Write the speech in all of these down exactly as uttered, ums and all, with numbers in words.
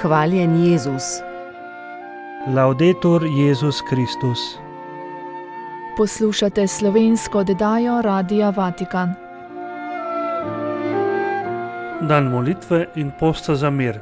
Hvaljen Jezus. Laudetur Jezus Kristus. Poslušate slovensko oddajo Radia Vatikan. Dan molitve in posta za mir.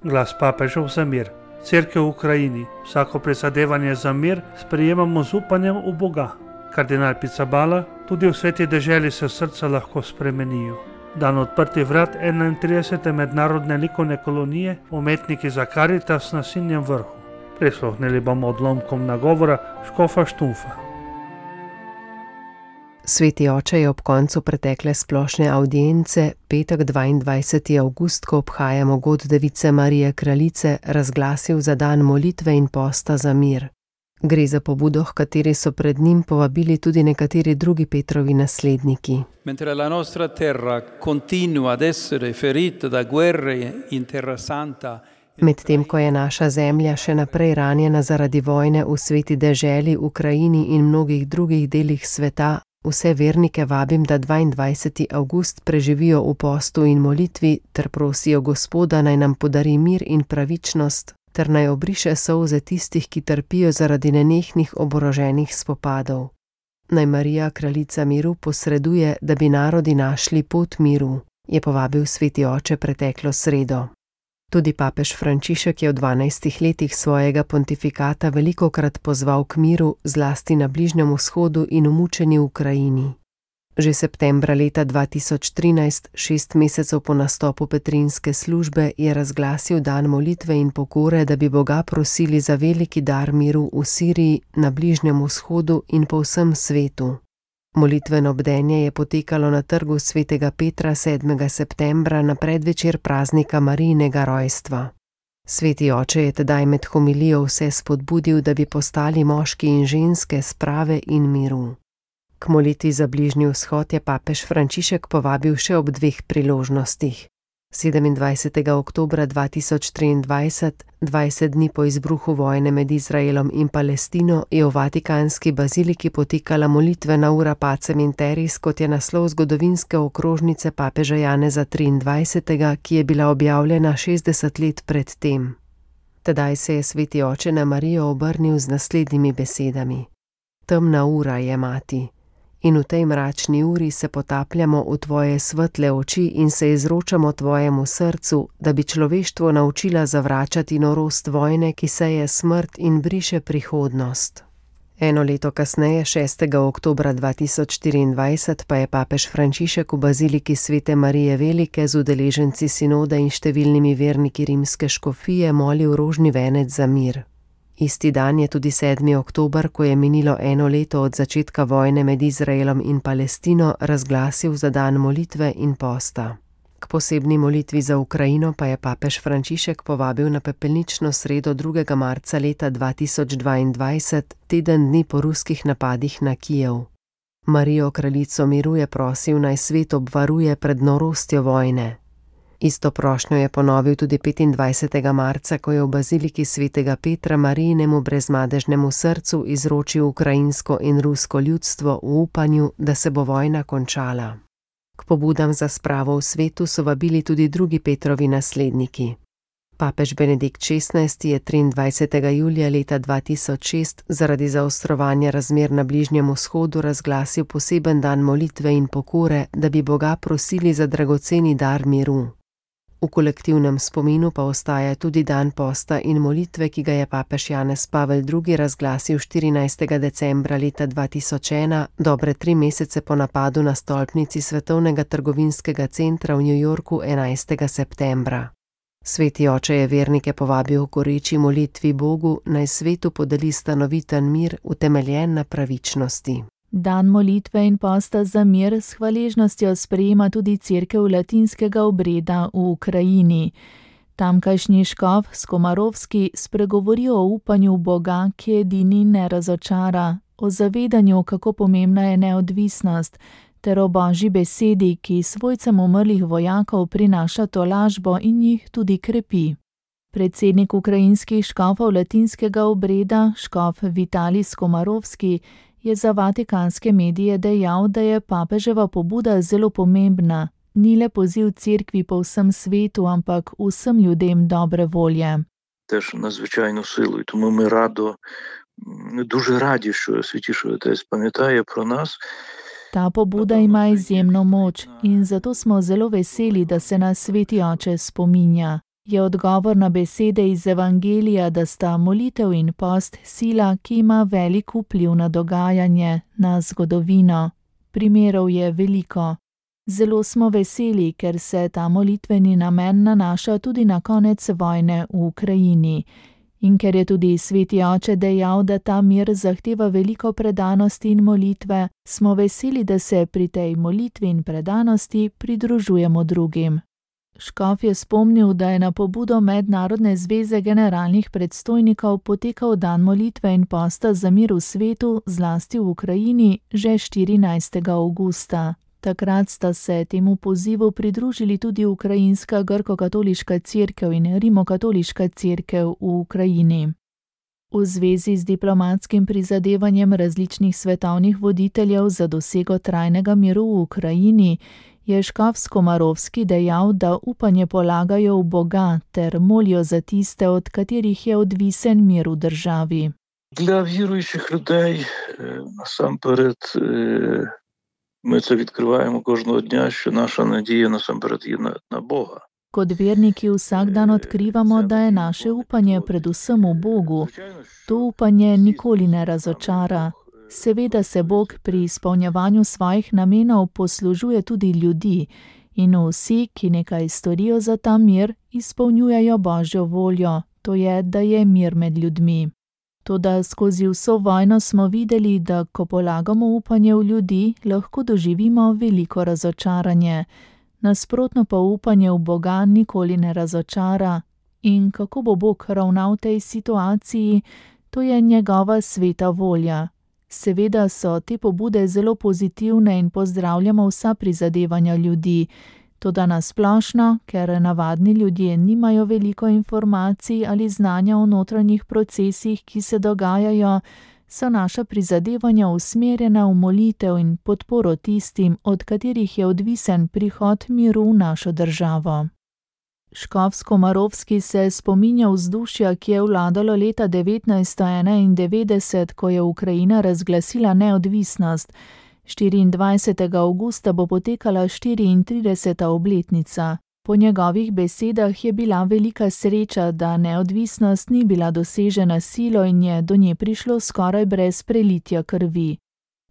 Glas papežev za mir. Cerkev v Ukrajini. Vsako prizadevanje za mir sprejemamo z upanjem v Boga. Kardinal Pizzaballa, tudi v sveti deželi se srca lahko spremenijo. Dan odprtih vrat enaintridesete mednarodne likovne kolonije Umetniki za Karitas na Sinjem vrhu. Prisluhnili bomo odlomkom nagovora škofa Štufa. Sveti oče je ob koncu pretekle splošne avdience, petek dvaindvajseti avgust, ko obhajamo god Device Marije Kraljice, razglasil za dan molitve in posta za mir. Gre za pobudo, h kateri so pred njim povabili tudi nekateri drugi Petrovi nasledniki. Mentre la nostra terra continua ad essere ferita da guerre in Terra Santa. Medtem ko je naša zemlja še naprej ranjena zaradi vojne v sveti deželi, Ukrajini in mnogih drugih delih sveta, vse vernike vabim, da dvaindvajseti avgust preživijo v postu in molitvi ter prosijo Gospoda, naj nam podari mir in pravičnost, ter naj obriše solze tistih, ki trpijo zaradi nenehnih oboroženih spopadov. Naj Marija, kraljica miru, posreduje, da bi narodi našli pot miru, je povabil sveti oče preteklo sredo. Tudi papež Frančišek je v dvanajstih letih svojega pontifikata velikokrat pozval k miru, zlasti na Bližnjem vzhodu in v mučeni Ukrajini. Že septembra leta dva tisoč trinajst, šest mesecev po nastopu petrinske službe, je razglasil dan molitve in pokore, da bi Boga prosili za veliki dar miru v Siriji, na Bližnjem vzhodu in po vsem svetu. Molitveno bdenje je potekalo na trgu svetega Petra sedmega septembra na predvečer praznika Marijinega rojstva. Sveti oče je tedaj med homilijo vse spodbudil, da bi postali moški in ženske sprave in miru. K molitvi za Bližnji vzhod je papež Frančišek povabil še ob dveh priložnostih. sedemindvajsetega oktobra dva tisoč triindvajset, dvajset dni po izbruhu vojne med Izraelom in Palestino, je v vatikanski baziliki potekala molitvena ura Pacem in Terris, kot je naslov zgodovinske okrožnice papeža Janeza triindvajsetega, ki je bila objavljena šestdeset let pred tem. Tedaj se je sveti oče na Marijo obrnil z naslednjimi besedami: Temna ura je, mati. In v tej mračni uri se potapljamo v tvoje svetle oči in se izročamo tvojemu srcu, da bi človeštvo naučila zavračati norost vojne, ki seje smrt in briše prihodnost. Eno leto kasneje, šestega oktobra dva tisoč štiriindvajset, pa je papež Frančišek v baziliki Svete Marije Velike z udeleženci sinoda in številnimi verniki rimske škofije molil rožni venec za mir. Isti dan je tudi sedmi oktober, ko je minilo eno leto od začetka vojne med Izraelom in Palestino, razglasil za dan molitve in posta. K posebni molitvi za Ukrajino pa je papež Frančišek povabil na pepelnično sredo drugega marca leta dva tisoč dvaindvajset, teden dni po ruskih napadih na Kijev. Marijo, kraljico miru, je prosil, naj svet obvaruje pred norostjo vojne. Isto prošnjo je ponovil tudi petindvajsetega marca, ko je v baziliki svetega Petra Marijinemu brezmadežnemu srcu izročil ukrajinsko in rusko ljudstvo v upanju, da se bo vojna končala. K pobudam za spravo v svetu so vabili tudi drugi Petrovi nasledniki. Papež Benedikt šestnajsti je triindvajsetega julija leta dva tisoč šest zaradi zaostrovanja razmer na Bližnjem vzhodu razglasil poseben dan molitve in pokore, da bi Boga prosili za dragoceni dar miru. V kolektivnem spominu pa ostaja tudi dan posta in molitve, ki ga je papež Janez Pavel drugi razglasil štirinajstega decembra leta dva tisoč ena, dobre tri mesece po napadu na stolpnici Svetovnega trgovinskega centra v New Yorku enajstega septembra. Sveti oče je vernike povabil k goreči molitvi Bogu, naj svetu podeli stanoviten mir, utemeljen na pravičnosti. Dan molitve in posta za mir s hvaležnostjo sprejema tudi cerkev latinskega obreda v Ukrajini. Tamkajšnji škof Skomarovski spregovori o upanju Boga, ki edini ne razočara, o zavedanju, kako pomembna je neodvisnost, ter o Božji besedi, ki svojcem umrlih vojakov prinaša tolažbo in jih tudi krepi. Predsednik ukrajinskih škofov latinskega obreda, škof Vitalij Skomarovski, je za vatikanske medije dejal, da je papeževa pobuda zelo pomembna, ni le poziv cerkvi po vsem svetu, ampak vsem ljudem dobre volje. Теж надзвичайну силу. І тому ми радо, дуже раді, що Святіший Отець пам'ятає про нас. Ta pobuda ima izjemno moč in zato smo zelo veseli, da se nas Sveti Oče spominja. Je odgovor na besede iz Evangelija, da sta molitev in post sila, ki ima velik vpliv na dogajanje, na zgodovino. Primerov je veliko. Zelo smo veseli, ker se ta molitveni namen nanaša tudi na konec vojne v Ukrajini. In ker je tudi Sveti Oče dejal, da ta mir zahteva veliko predanosti in molitve, smo veseli, da se pri tej molitvi in predanosti pridružujemo drugim. Škof je spomnil, da je na pobudo Mednarodne zveze generalnih predstojnikov potekal dan molitve in posta za mir v svetu, zlasti v Ukrajini, že štirinajstega avgusta. Takrat sta se temu pozivu pridružili tudi Ukrajinska grko-katoliška cerkev in rimokatoliška cerkev v Ukrajini. V zvezi z diplomatskim prizadevanjem različnih svetovnih voditeljev za dosego trajnega miru v Ukrajini je škof Skomarovski dejal, da upanje polagajo v Boga ter molijo za tiste, od katerih je odvisen mir v državi. Для віруючих людей насамперед ми це відкриваємо кожного дня, що наша надія насамперед є на, на Бога. Kot verniki vsak dan odkrivamo, da je naše upanje predvsem v Bogu. To upanje nikoli ne razočara. Seveda se Bog pri izpolnjevanju svojih namenov poslužuje tudi ljudi in vsi, ki nekaj storijo za ta mir, izpolnjujejo Božjo voljo, to je, da je mir med ljudmi. Toda skozi vso vojno smo videli, da ko polagamo upanje v ljudi, lahko doživimo veliko razočaranje. Nasprotno pa upanje v Boga nikoli ne razočara. In kako bo Bog ravnal v tej situaciji, to je njegova sveta volja. Seveda so te pobude zelo pozitivne in pozdravljamo vsa prizadevanja ljudi. Toda nasplošno, ker navadni ljudje nimajo veliko informacij ali znanja o notranjih procesih, ki se dogajajo, so naša prizadevanja usmerjena v molitev in podporo tistim, od katerih je odvisen prihod miru v našo državo. Škof Skomarovski se spominja vzdušja, ki je vladalo leta devetnajststo enaindevetdeset, ko je Ukrajina razglasila neodvisnost. štiriindvajsetega avgusta bo potekala štiriintrideseta obletnica. Po njegovih besedah je bila velika sreča, da neodvisnost ni bila dosežena silo in je do nje prišlo skoraj brez prelitja krvi.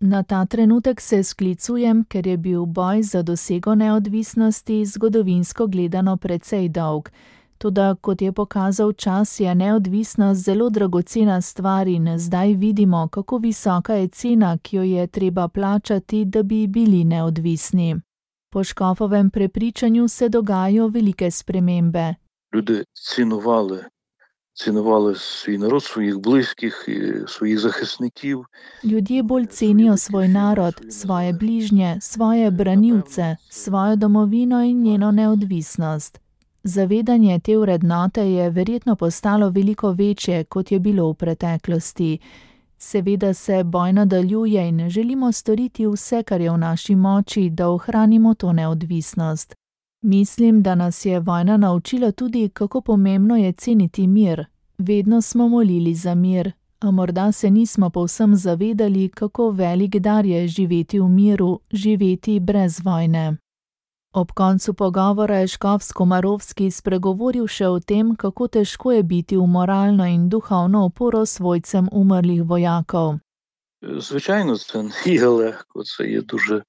Na ta trenutek se sklicujem, ker je bil boj za dosego neodvisnosti zgodovinsko gledano precej dolg. Toda, kot je pokazal čas, je neodvisnost zelo dragocena stvar in zdaj vidimo, kako visoka je cena, ki jo je treba plačati, da bi bili neodvisni. Po škofovem prepričanju se dogajajo velike spremembe. Ljudi cinovali, cinovali svoj narod, svojih bližnjih, svojih zaščitnikov. Ljudje bolj cenijo svoj narod, svoje bližnje, svoje branilce, svojo domovino in njeno neodvisnost. Zavedanje te vrednote je verjetno postalo veliko večje, kot je bilo v preteklosti. Seveda se boj nadaljuje in želimo storiti vse, kar je v naši moči, da ohranimo to neodvisnost. Mislim, da nas je vojna naučila tudi, kako pomembno je ceniti mir. Vedno smo molili za mir, a morda se nismo povsem zavedali, kako velik dar je živeti v miru, živeti brez vojne. Ob koncu pogovora je škof Skomarovski spregovoril še o tem, kako težko je biti v moralno in duhovno oporo svojcem umrlih vojakov. Звичайно, це не є легко, це є дуже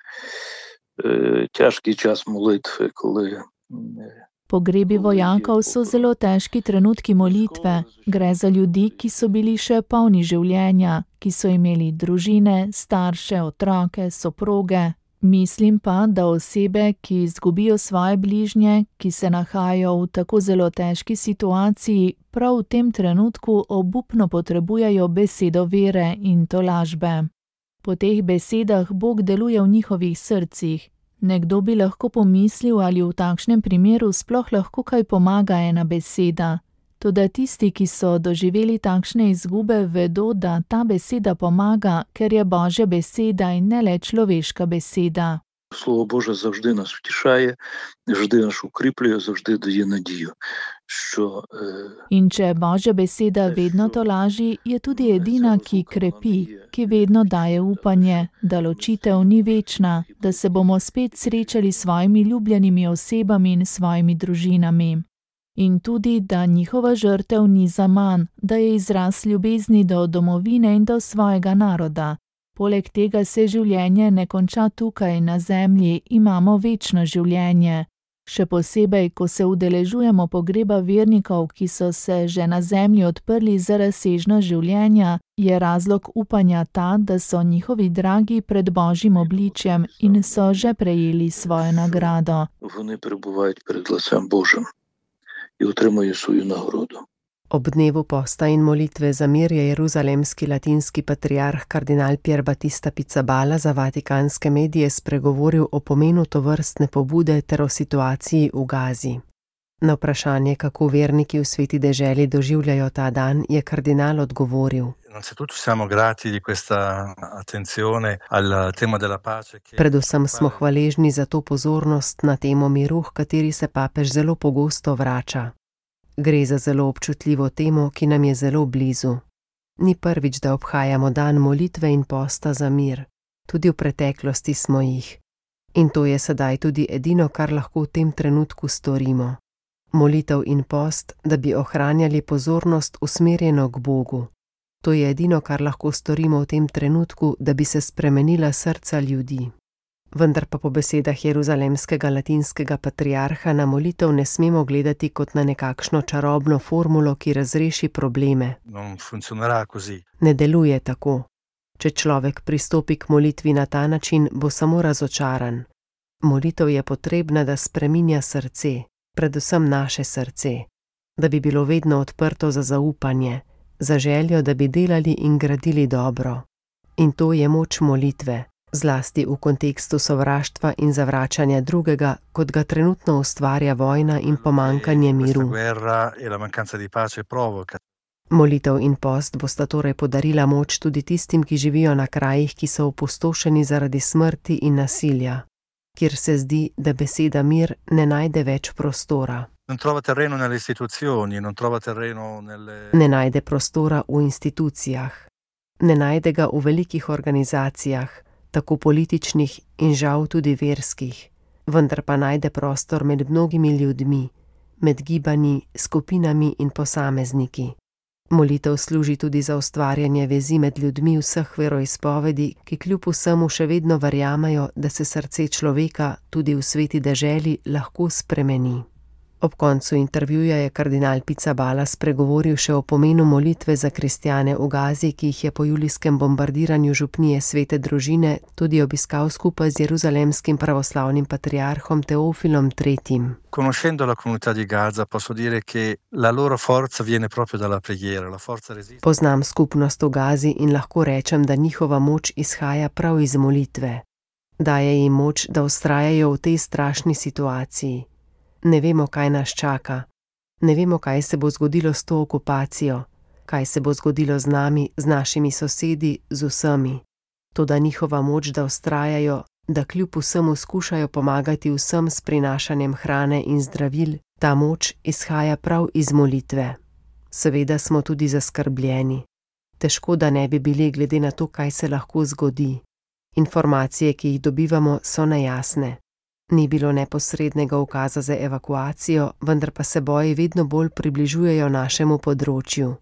е, тяжкий час молитви, коли... Pogrebi vojakov so zelo težki trenutki molitve. Gre za ljudi, ki so bili še polni življenja, ki so imeli družine, starše, otroke, soproge. Mislim pa, da osebe, ki izgubijo svoje bližnje, ki se nahajajo v tako zelo težki situaciji, prav v tem trenutku obupno potrebujejo besedo vere in tolažbe. Po teh besedah Bog deluje v njihovih srcih. Nekdo bi lahko pomislil, ali v takšnem primeru sploh lahko kaj pomaga ena beseda. Toda tisti, ki so doživeli takšne izgube, vedo, da ta beseda pomaga, ker je Božja beseda in ne le človeška beseda. Слово Боже завжди нас втішає, завжди нас укріплює, завжди дає надію, що In če Božja beseda vedno tolaži, je tudi edina, ki krepi, ki vedno daje upanje, da ločitev ni večna, da se bomo spet srečali s svojimi ljubljenimi osebami in svojimi družinami. In tudi, da njihova žrtev ni zaman, da je izraz ljubezni do domovine in do svojega naroda. Poleg tega se življenje ne konča tukaj na zemlji, imamo večno življenje. Še posebej, ko se udeležujemo pogreba vernikov, ki so se že na zemlji odprli za razsežnost življenja, je razlog upanja ta, da so njihovi dragi pred Božjim obličjem in so že prejeli svojo nagrado. Вони перебувають перед лицем Божим і отримують свою нагороду. Ob dnevu posta in molitve za mir je jeruzalemski latinski patriarh kardinal Pier Battista Pizzaballa za vatikanske medije spregovoril o pomenu tovrstne pobude ter o situaciji v Gazi. Na vprašanje, kako verniki v sveti deželi doživljajo ta dan, je kardinal odgovoril: Predvsem smo hvaležni za to pozornost na temo miru, h kateri se papež zelo pogosto vrača. Gre za zelo občutljivo temo, ki nam je zelo blizu. Ni prvič, da obhajamo dan molitve in posta za mir. Tudi v preteklosti smo jih. In to je sedaj tudi edino, kar lahko v tem trenutku storimo. Molitev in post, da bi ohranjali pozornost usmerjeno k Bogu. To je edino, kar lahko storimo v tem trenutku, da bi se spremenila srca ljudi. Vendar pa po besedah jeruzalemskega latinskega patriarha na molitev ne smemo gledati kot na nekakšno čarobno formulo, ki razreši probleme. Ne deluje tako. Če človek pristopi k molitvi na ta način, bo samo razočaran. Molitev je potrebna, da spreminja srce, predvsem naše srce, da bi bilo vedno odprto za zaupanje, za željo, da bi delali in gradili dobro. In to je moč molitve. Zlasti v kontekstu sovraštva in zavračanja drugega, kot ga trenutno ustvarja vojna in pomankanje miru. Molitev in post bosta torej podarila moč tudi tistim, ki živijo na krajih, ki so opustošeni zaradi smrti in nasilja, kjer se zdi, da beseda mir ne najde več prostora. Ne najde prostora v institucijah, ne najde ga v velikih organizacijah, tako političnih in žal tudi verskih, vendar pa najde prostor med mnogimi ljudmi, med gibanji, skupinami in posamezniki. Molitev služi tudi za ustvarjanje vezi med ljudmi vseh veroizpovedi, ki kljub vsemu še vedno verjamejo, da se srce človeka tudi v sveti deželi lahko spremeni. Ob koncu intervjuja je kardinal Pizzaballa spregovoril še o pomenu molitve za kristjane v Gazi, ki jih je po julijskem bombardiranju župnije Svete družine tudi obiskal skupaj z jeruzalemskim pravoslavnim patriarhom Teofilom tretjim. Conoscendo la comunità di Gaza, posso dire che la loro forza viene proprio dalla preghiera, la forza resiste. Poznam skupnost v Gazi in lahko rečem, da njihova moč izhaja prav iz molitve. Daje jim moč, da vztrajajo v tej strašni situaciji. Ne vemo, kaj nas čaka. Ne vemo, kaj se bo zgodilo s to okupacijo, kaj se bo zgodilo z nami, z našimi sosedi, z vsemi. Toda njihova moč, da vztrajajo, da kljub vsemu skušajo pomagati vsem s prinašanjem hrane in zdravil, ta moč izhaja prav iz molitve. Seveda smo tudi zaskrbljeni. Težko, da ne bi bili glede na to, kaj se lahko zgodi. Informacije, ki jih dobivamo, so nejasne. Ni bilo neposrednega ukaza za evakuacijo, vendar pa se boji vedno bolj približujejo našemu področju.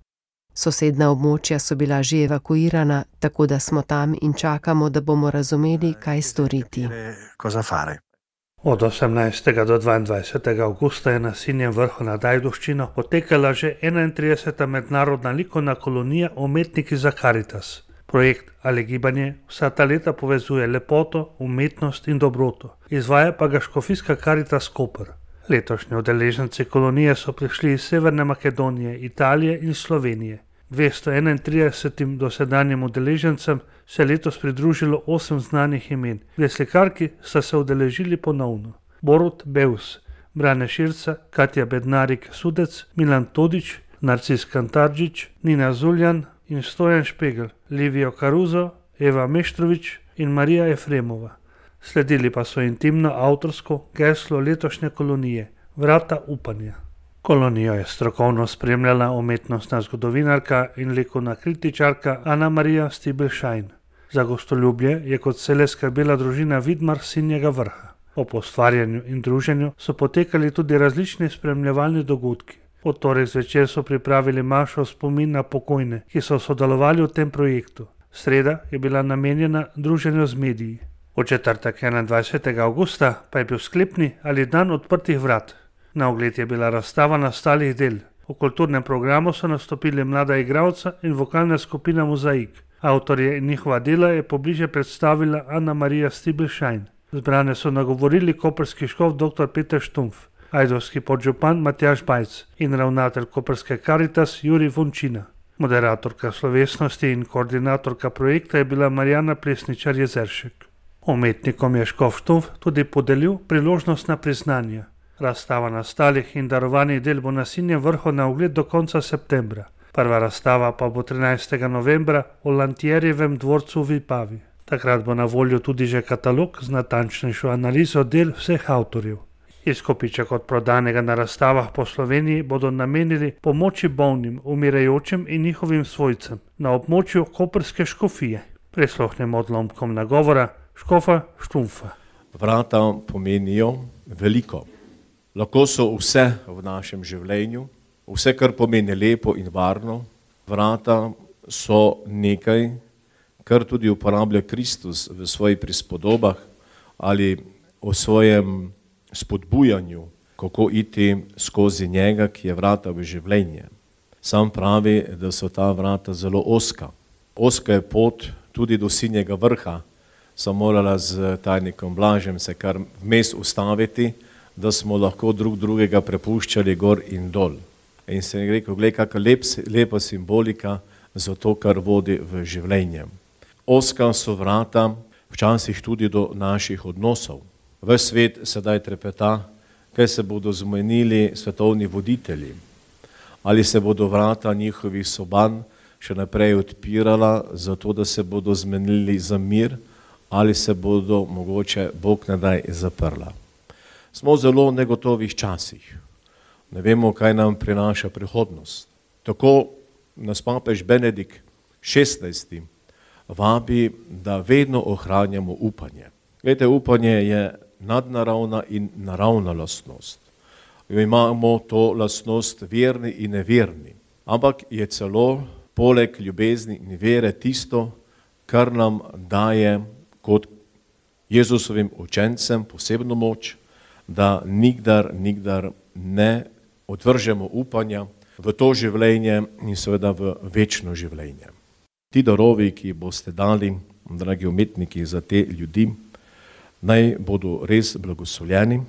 Sosedna območja so bila že evakuirana, tako da smo tam in čakamo, da bomo razumeli, kaj storiti. Od osemnajstega do dvaindvajsetega avgusta je na Sinjem vrhu nad Ajdovščino potekala že enaintrideseta mednarodna likovna kolonija Umetniki za Karitas. Projekt ali gibanje vsa ta leta povezuje lepoto, umetnost in dobroto, izvaja pa ga škofijska Karitas Koper. Letošnji udeleženci kolonije so prišli iz Severne Makedonije, Italije in Slovenije. dvesto enaintridesetim dosedanjim udeležencem se je letos pridružilo osem znanih imen. Dve slikarki sta se udeležili ponovno. Borut Beus, Brane Širca, Katja Bednarik Sudec, Milan Todić, Narcis Kantaržič, Nina Zuljan in Stojan Špegel, Livijo Karuzo, Eva Meštrović in Marija Efremova. Sledili pa so intimno avtorsko geslo letošnje kolonije Vrata upanja. Kolonijo je strokovno spremljala umetnostna zgodovinarka in likovna kritičarka Ana Marija Stibelšajn. Za gostoljubje je kot vselej skrbela družina Vidmar s Sinjega Vrha. Ob ustvarjanju in druženju so potekali tudi različni spremljevalni dogodki. V torek zvečer so pripravili mašo v spomin na pokojne, ki so sodelovali v tem projektu. Sreda je bila namenjena druženju z mediji. V četrtek enaindvajsetega avgusta pa je bil sklepni ali dan odprtih vrat. Na ogled je bila razstava nastalih del. V kulturnem programu so nastopili mlada igralca in vokalna skupina Mozaik. Avtorje in njihova dela je pobliže predstavila Ana Marija Stibelšajn. Zbrane so nagovorili koprski škof dr. Peter Štumpf, ajdovski podžupan Matjaž Bajc in ravnatelj koprske Karitas Jurij Vončina. Moderatorka slovesnosti in koordinatorka projekta je bila Marjana Plesničar-Jezeršek. Umetnikom je škof Štumpf tudi podelil priložnost na priznanja. Razstava nastalih in darovanih del bo na Sinjem Vrhu na ogled do konca septembra. Prva razstava pa bo trinajstega novembra v Lantjerjevem dvorcu v Vipavi. Takrat bo na voljo tudi že katalog z natančnejšo analizo del vseh avtorjev. Izkupiček od prodanega na razstavah po Sloveniji bodo namenili pomoči bolnim, umirajočim in njihovim svojcem na območju koprske škofije. Prisluhnemo odlomkom nagovora škofa Štumpfa. Vrata pomenijo veliko. Lahko so vse v našem življenju, vse, kar pomeni lepo in varno. Vrata so nekaj, kar tudi uporablja Kristus v svojih prispodobah ali o svojem spodbujanju, kako iti skozi njega, ki je vrata v življenje. Sam pravi, da so ta vrata zelo ozka. Ozka je pot tudi do Sinjega Vrha. Sem morala z tajnikom Blažem se kar vmes ustaviti, da smo lahko drug drugega prepuščali gor in dol. In sem rekel, gled, kakšna lep, lepa simbolika za to, kar vodi v življenje. Ozka so vrata včasih tudi do naših odnosov. Ves svet sedaj trepeta, kaj se bodo zmenili svetovni voditelji. Ali se bodo vrata njihovih soban še naprej odpirala, zato da se bodo zmenili za mir, ali se bodo mogoče Bog ne daj zaprla. Smo v zelo negotovih časih. Ne vemo, kaj nam prinaša prihodnost. Tako nas papež Benedikt šestnajsti vabi, da vedno ohranjamo upanje. Glejte, upanje je nadnaravna in naravna lastnost. Imamo to lastnost verni in neverni. Ampak je celo poleg ljubezni in vere tisto, kar nam daje kot Jezusovim učencem posebno moč, da nikdar, nikdar ne odvržemo upanja v to življenje in seveda v večno življenje. Ti darovi, ki boste dali, dragi umetniki, za te ljudi, naj bodo res blagoslovljeni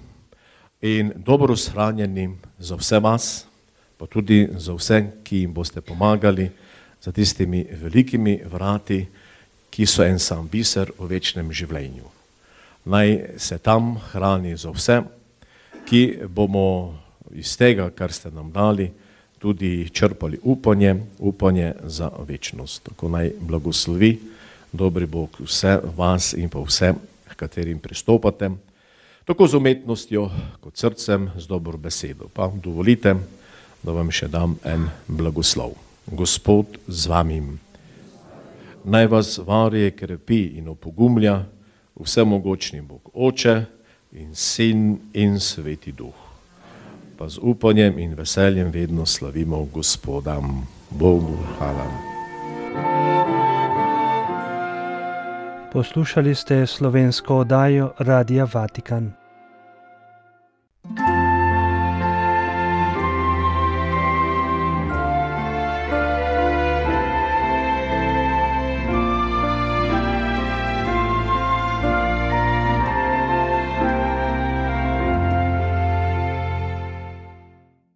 in dobro shranjeni za vse vas, pa tudi za vse, ki jim boste pomagali za tistimi velikimi vrati, ki so en sam biser v večnem življenju. Naj se tam hrani za vse, ki bomo iz tega, kar ste nam dali, tudi črpali upanje, upanje za večnost. Tako naj blagoslovi dobri Bog vse vas in pa vse, k katerim pristopate, tako z umetnostjo kot srcem, z dobro besedo. Pa dovolite, da vam še dam en blagoslov. Gospod z vami. Naj vas varuje, krepi in opogumlja vsemogočni Bog, Oče in Sin in Sveti Duh. Pa z upanjem in veseljem vedno slavimo Gospoda. Bogu hvala. Poslušali ste slovensko oddajo Radia Vatikan.